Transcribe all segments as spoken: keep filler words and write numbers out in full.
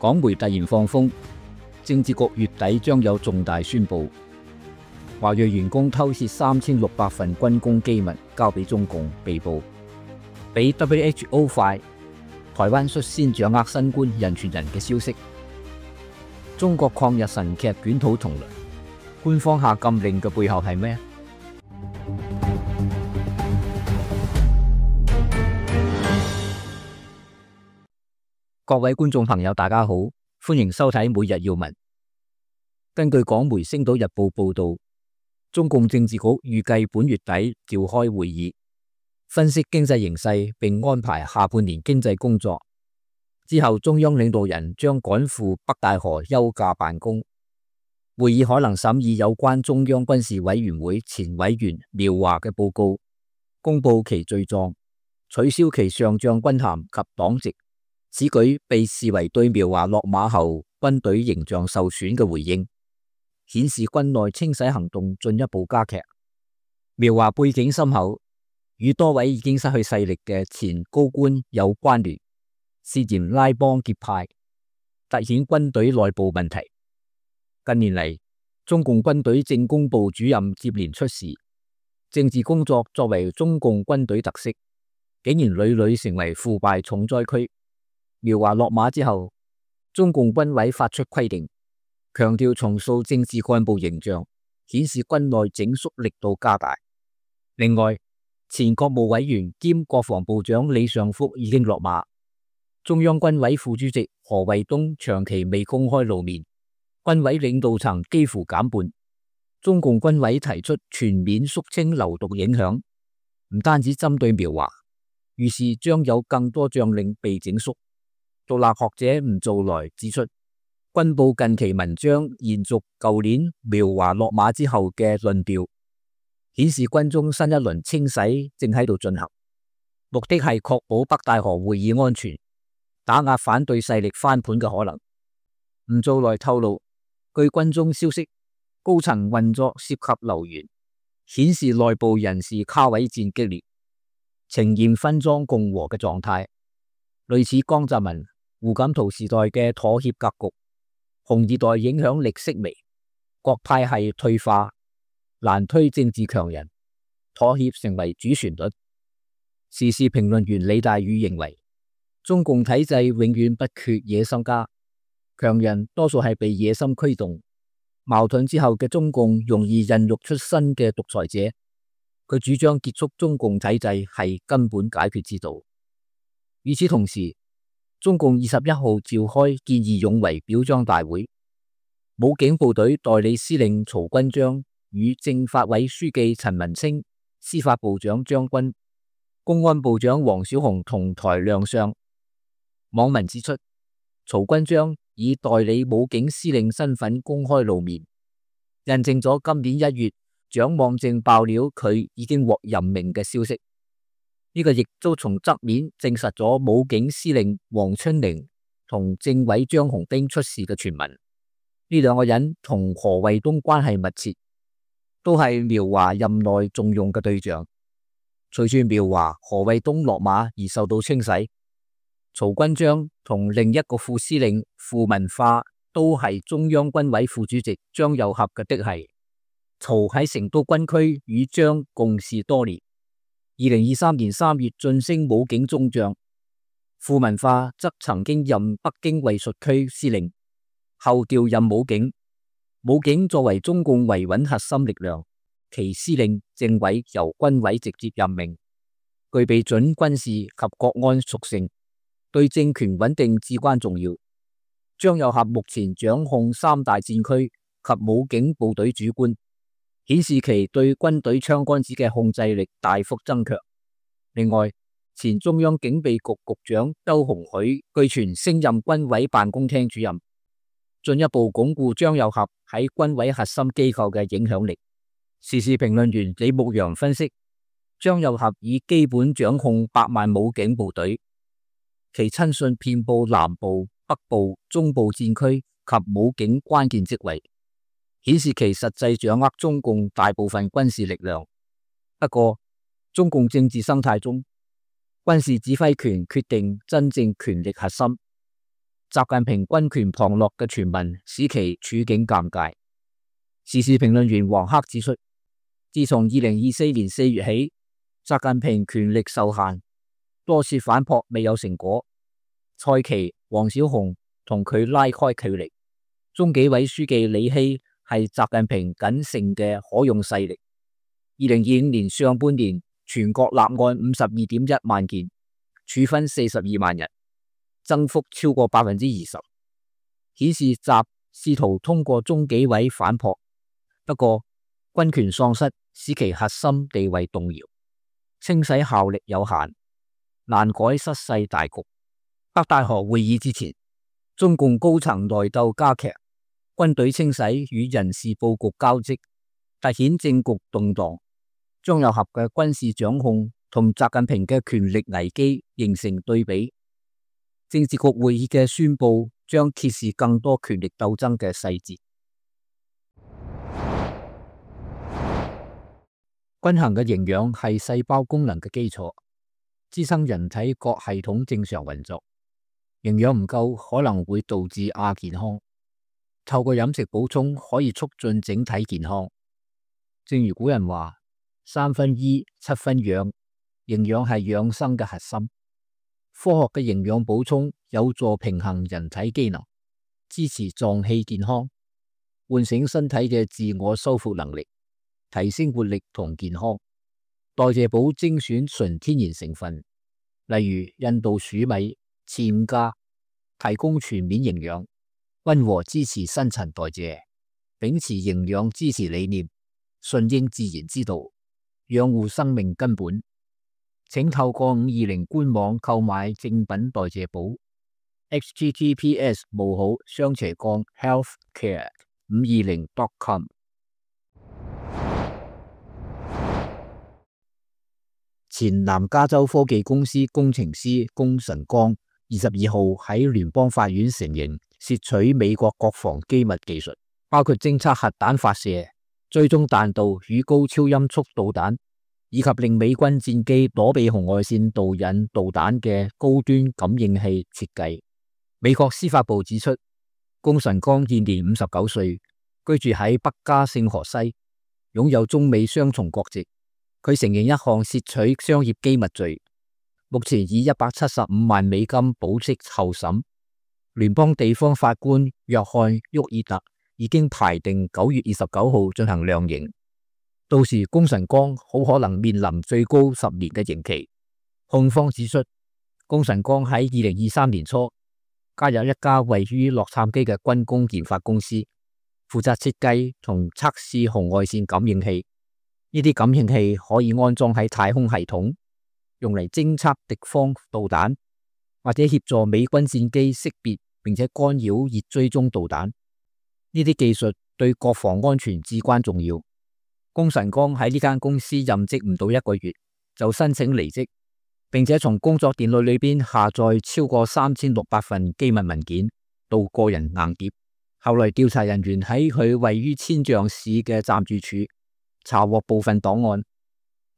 港媒突然放風，政治局月底將有重大宣佈。華裔員工偷竊三千六百份軍工機密交俾中共被捕，比 W H O 快。台灣率先掌握新冠人傳人嘅消息。中國抗日神劇捲土重來，官方下禁令嘅背後係咩？各位觀眾朋友，大家好，歡迎收睇每日要聞。根據港媒《星島日報》報道，中共政治局預計本月底召開會議，分析經濟形勢並安排下半年經濟工作。之後，中央領導人將趕赴北戴河休假辦公。會議可能審議有關中央軍事委員會前委員苗華嘅報告，公布其罪狀，取消其上將軍銜及黨籍。此舉被視為對苗華落馬後軍隊形象受損嘅回應，顯示軍內清洗行動進一步加劇。苗華背景深厚，與多位已經失去勢力嘅前高官有關聯，涉嫌拉幫結派，凸顯軍隊內部問題。近年嚟，中共軍隊政工部主任接連出事，政治工作作為中共軍隊特色，竟然屢屢成為腐敗重災區。苗華落馬之後，中共軍委發出規定，強調重塑政治幹部形象，顯示軍內整肅力度加大。另外，前國務委員兼國防部長李尚福已經落馬，中央軍委副主席何衛東長期未公開露面，軍委領導層幾乎減半。中共軍委提出全面肅清流毒影響，唔單止針對苗華，於是將有更多將領被整肅。獨立學者吳造來指出，軍報近期文章延續舊年苗華落馬之後嘅論調，顯示軍中新一輪清洗正喺度進行，目的係確保北戴河會議安全，打壓反對勢力翻盤嘅可能。吳造來透露，據軍中消息，高層運作涉及流言，顯示內部人事卡位戰激烈，呈現分贓共和嘅狀態，類似江澤民、胡錦濤時代嘅妥協格局。紅二代影響力式微，各派系退化，難推政治強人，妥協成為主旋律。時事評論員李大宇認為，中共體制永遠不缺野心家，強人多數係被野心驅動。矛盾之後嘅中共容易孕育出新嘅獨裁者。佢主張結束中共體制係根本解決之道。與此同時，中共二十一號召開見義勇為表彰大會，武警部隊代理司令曹軍章與政法委書記陳文清、司法部長張軍、公安部長王小洪同台亮相。網民指出，曹軍章以代理武警司令身份公開露面，印證咗今年一月蔣望正爆料佢已經獲任命嘅消息。呢個亦都從側面證實咗武警司令黃春寧同政委張紅兵出事嘅傳聞。呢兩個人同何衛東關係密切，都係苗華任內重用嘅對象。隨住苗華、何衛東落馬而受到清洗，曹軍章同另一個副司令傅文化都係中央軍委副主席張又俠嘅嫡系。曹喺成都軍區與張共事多年。二零二三年三月晉升武警中將，傅文化則曾經任北京衛戍區司令，後調任武警。武警作為中共維穩核心力量，其司令、政委由軍委直接任命，具備準軍事及國安屬性，對政權穩定至關重要。張又俠目前掌控三大戰區及武警部隊主官，顯示其對軍隊槍桿子嘅控制力大幅增強。另外，前中央警備局局長周鴻許據傳升任軍委辦公廳主任，進一步鞏固張又俠喺軍委核心機構嘅影響力。時事評論員李牧陽分析，張又俠已基本掌控百萬武警部隊，其親信遍佈南部、北部、中部戰區及武警關鍵職位，顯示其實際掌握中共大部分軍事力量。不過，中共政治生態中，軍事指揮權決定真正權力核心。習近平軍權旁落嘅傳聞使其處境尷尬。時事評論員黃克指出，自從二零二四年四月起，習近平權力受限，多次反撲未有成果。蔡奇、王小洪同佢拉開距離，中紀委書記李希係習近平僅剩嘅可用勢力。二零二五年上半年，全國立案五十二點一萬件，處分四十二萬人，增幅超過百分之二十，顯示習試圖通過中紀委反撲。不過，軍權喪失使其核心地位動搖，清洗效力有限，難改失勢大局。北戴河會議之前，中共高層內鬥加劇，軍隊清洗與人事佈局交織，凸顯政局動盪。張又俠嘅軍事掌控同習近平嘅權力危機形成對比。政治局會議嘅宣布將揭示更多權力鬥爭嘅細節。均衡嘅營養係細胞功能嘅基礎，支撐人體各系統正常運作。營養唔夠可能會導致亞健康，透過飲食補充可以促進整體健康。正如古人話，三分醫，七分養，營養係養生嘅核心。科學嘅營養補充有助平衡人體機能，支持臟器健康，喚醒身體嘅自我修復能力，提升活力同健康。代謝寶精選純天然成分，例如印度薯米、扦家，提供全面營養，溫和支持新陳代謝，秉持營養支持理念，順應自然之道，養護生命根本。請透過五二零官網購買正品代謝寶 ：h t t p s 冒號雙斜槓 healthcare 五二零 dot com。前南加州科技公司工程師龔晨光二十二號喺聯邦法院承認竊取美國國防機密技術，包括偵測核彈發射、追蹤彈道與高超音速導彈，以及令美軍戰機躲避紅外線導引導彈嘅高端感應器設計。美國司法部指出，龔晨光現年五十九歲，居住喺北加聖荷西，擁有中美雙重國籍。佢承認一項竊取商業機密罪，目前以一百七十五萬美金保釋候審。聯邦地方法官約翰沃爾特已經排定九月二十九號進行量刑，到時龔晨光好可能面臨最高十年嘅刑期。控方指出，龔晨光喺二零二三年初加入一家位於洛杉磯嘅軍工研發公司，負責設計同測試紅外線感應器。呢啲感應器可以安裝喺太空系統，用嚟偵測敵方導彈，或者協助美軍戰機識別並且干擾熱追蹤導彈。呢啲技術對國防安全至關重要。龔晨光喺呢間公司任職唔到一個月就申請離職，並且從工作電腦裏邊下載超過三千六百份機密文件到個人硬碟。後來調查人員喺佢位於千象市嘅暫住處查獲部分檔案，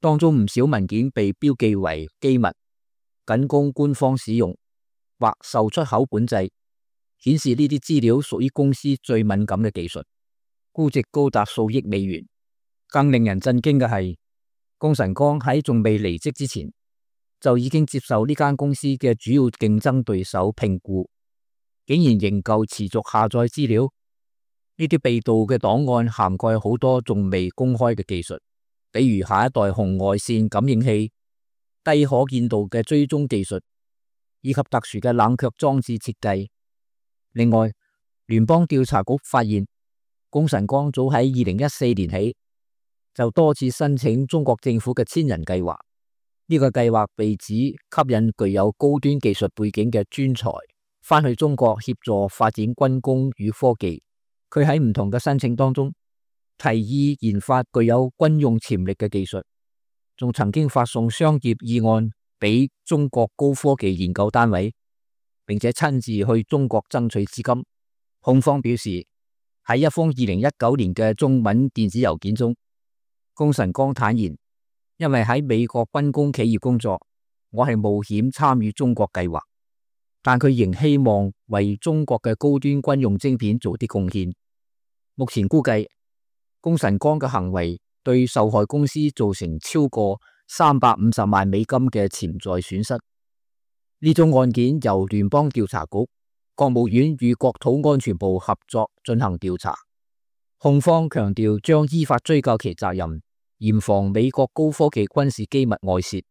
當中唔少文件被標記為機密，僅供官方使用或受出口管制，顯示呢啲資料屬於公司最敏感嘅技術，估值高達數億美元。更令人震驚嘅係，龔晨光喺仲未離職之前，就已經接受呢間公司嘅主要競爭對手聘僱，竟然仍舊持續下載資料。呢啲被盜嘅檔案涵蓋好多仲未公開嘅技術，比如下一代紅外線感應器、低可見度嘅追蹤技術，以及特殊嘅冷卻裝置設計。另外，聯邦調查局發現，龔晨光早喺二零一四年起就多次申請中國政府嘅千人計劃。呢個計劃被指吸引具有高端技術背景嘅專才返去中國協助發展軍工與科技。佢喺唔同嘅申請當中提議研發具有軍用潛力嘅技術，仲曾經發送商業議案俾中國高科技研究單位，並且親自去中國爭取資金。控方表示，喺一封二零一九年嘅中文電子郵件中，龔晨光坦言，因為喺美國軍工企業工作，我係冒險參與中國計劃。但佢仍希望為中國嘅高端軍用晶片做啲貢獻。目前估計，龔晨光嘅行為對受害公司造成超過三百五十萬美金嘅潛在損失。呢宗案件由聯邦調查局、國務院與國土安全部合作進行調查。控方強調將依法追究其責任，嚴防美國高科技軍事機密外泄。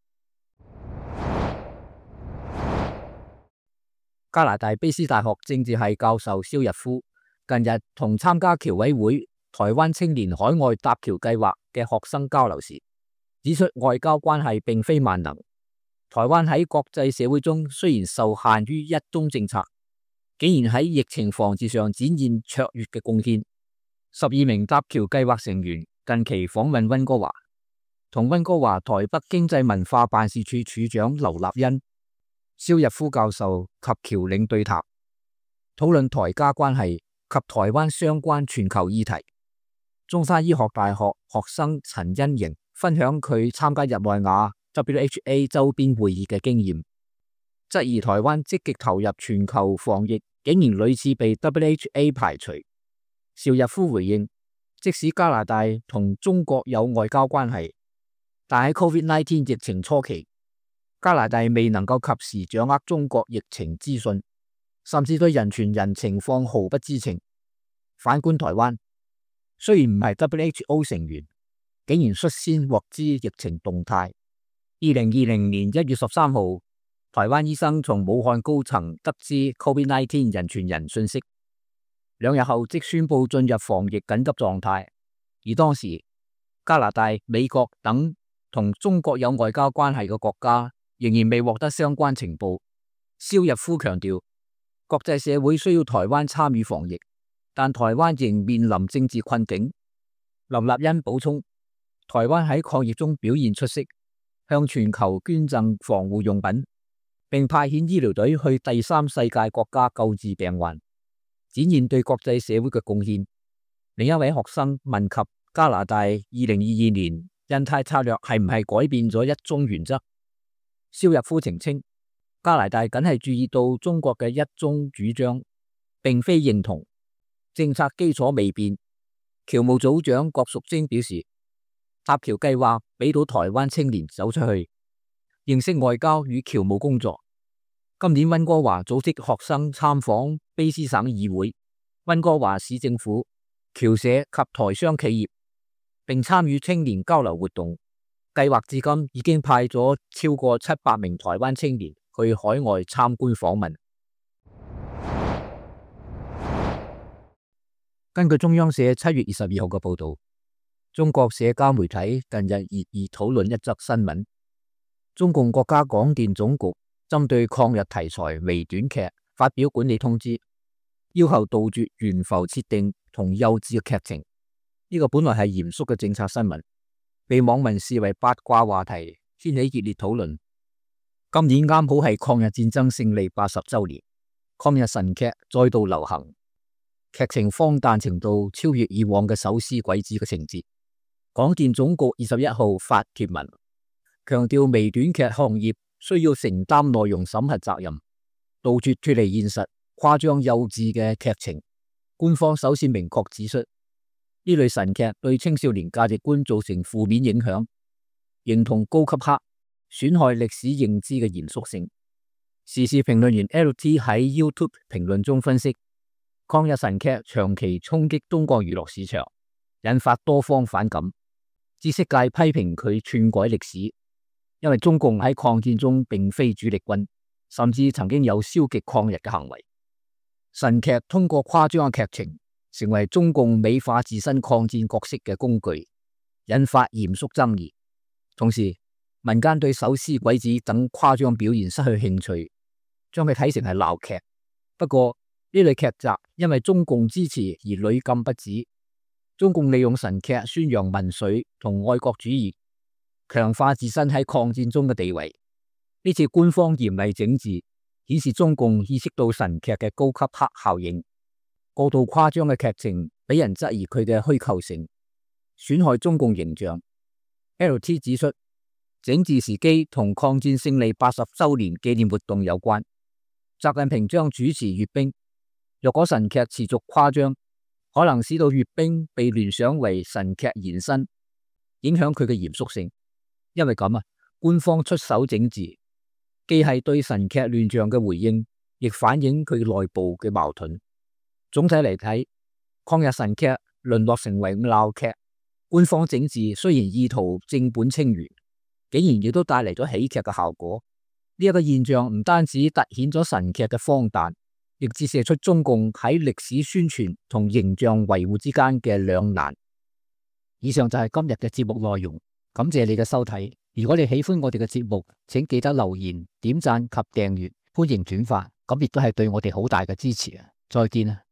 加拿大卑斯大學政治系教授蕭日夫近日同參加僑委會台灣青年海外搭橋計劃嘅學生交流時，指出外交關係並非萬能。台灣喺國際社會中雖然受限於一中政策，竟然喺疫情防治上展現卓越嘅貢獻。十二名搭橋計劃成員近期訪問溫哥華，同溫哥華台北經濟文化辦事處處長劉立恩、蕭日夫教授及僑領對談，討論台加關係及台灣相關全球議題。中山醫學大學學生陳欣瑩分享佢參加日內瓦 W H A 周邊會議嘅經驗，質疑台灣積極投入全球防疫，竟然屢次被 W H A 排除。邵日夫回應，即使加拿大同中國有外交關係，但喺 COVID 十九 疫情初期，加拿大未能夠及時掌握中國疫情資訊，甚至對人傳人情況毫不知情。反觀台灣，雖然唔係 W H O 成員，竟然率先獲知疫情動態。二零二零年一月十三號，台灣醫生從武漢高層得知 COVID 十九 人傳人信息，兩日後即宣布進入防疫緊急狀態。而當時加拿大、美國等同中國有外交關係嘅國家仍然未獲得相關情報。蕭日夫強調，國際社會需要台灣參與防疫，但台灣仍面臨政治困境。劉立恩補充，台灣喺抗疫中表現出色，向全球捐贈防護用品，並派遣醫療隊去第三世界國家救治病患，展現對國際社會嘅貢獻。另一位學生問及加拿大二零二二年印太策略係唔係改變咗一中原則，蕭日夫澄清，加拿大僅係注意到中國嘅一中主張，並非認同，政策基礎未變。僑務組長郭淑貞表示，搭橋計劃俾到台灣青年走出去，認識外交與僑務工作。今年溫哥華組織學生參訪卑斯省議會、溫哥華市政府、僑社及台商企業，並參與青年交流活動。計劃至今已經派咗超過七百名台灣青年去海外參觀訪問。根據中央社七月二十二號嘅報道，中國社交媒體近日熱議討論一則新聞：中共國家廣電總局針對抗日題材微短劇發表管理通知，要求杜絕懸浮設定同幼稚嘅劇情。呢個本來係嚴肅嘅政策新聞，被網民視為八卦話題，掀起熱烈討論。今年啱好係抗日戰爭勝利八十週年，抗日神劇再度流行，劇情荒誕程度超越以往嘅手撕鬼子嘅情節。廣電總局二十一號發帖文，強調微短劇行業需要承擔內容審核責任，杜絕脫離現實、誇張幼稚嘅劇情。官方首先明確指出，呢類神劇對青少年價值觀造成負面影響，形同高級黑，損害歷史認知嘅嚴肅性。時事評論員 L T 喺 YouTube 評論中分析，抗日神劇長期衝擊中國娛樂市場，引發多方反感。知識界批評佢篡改歷史，因為中共喺抗戰中並非主力軍，甚至曾經有消極抗日嘅行為。神劇通過誇張嘅劇情，成為中共美化自身抗戰角色嘅工具，引發嚴肅爭議。同時，民間對手撕鬼子等誇張表現失去興趣，將佢睇成係鬧劇。不過呢類劇集因為中共支持而屢禁不止。中共利用神劇宣揚民粹同愛國主義，強化自身喺抗戰中嘅地位。呢次官方嚴厲整治，顯示中共意識到神劇嘅高級黑效應。過度誇張嘅劇情俾人質疑佢嘅虛構性，損害中共形象。L T 指出，整治時機同抗戰勝利八十週年紀念活動有關。習近平將主持閱兵。若果神劇持續誇張，可能使到閱兵被聯想為神劇延伸，影響佢嘅嚴肅性。因為咁啊，官方出手整治，既係對神劇亂象嘅回應，亦反映佢內部嘅矛盾。總體嚟睇，抗日神劇淪落成為鬧劇，官方整治雖然意圖正本清源，竟然亦都帶嚟咗喜劇嘅效果。呢、這、一個現象唔單止凸顯咗神劇嘅荒誕，亦折射出中共喺歷史宣傳同形象維護之間嘅兩難。以上就係今日嘅節目內容，感謝你嘅收睇。如果你喜歡我哋嘅節目，請記得留言、點讚及訂閱，歡迎轉發，咁亦都係對我哋好大嘅支持啊！再見啊！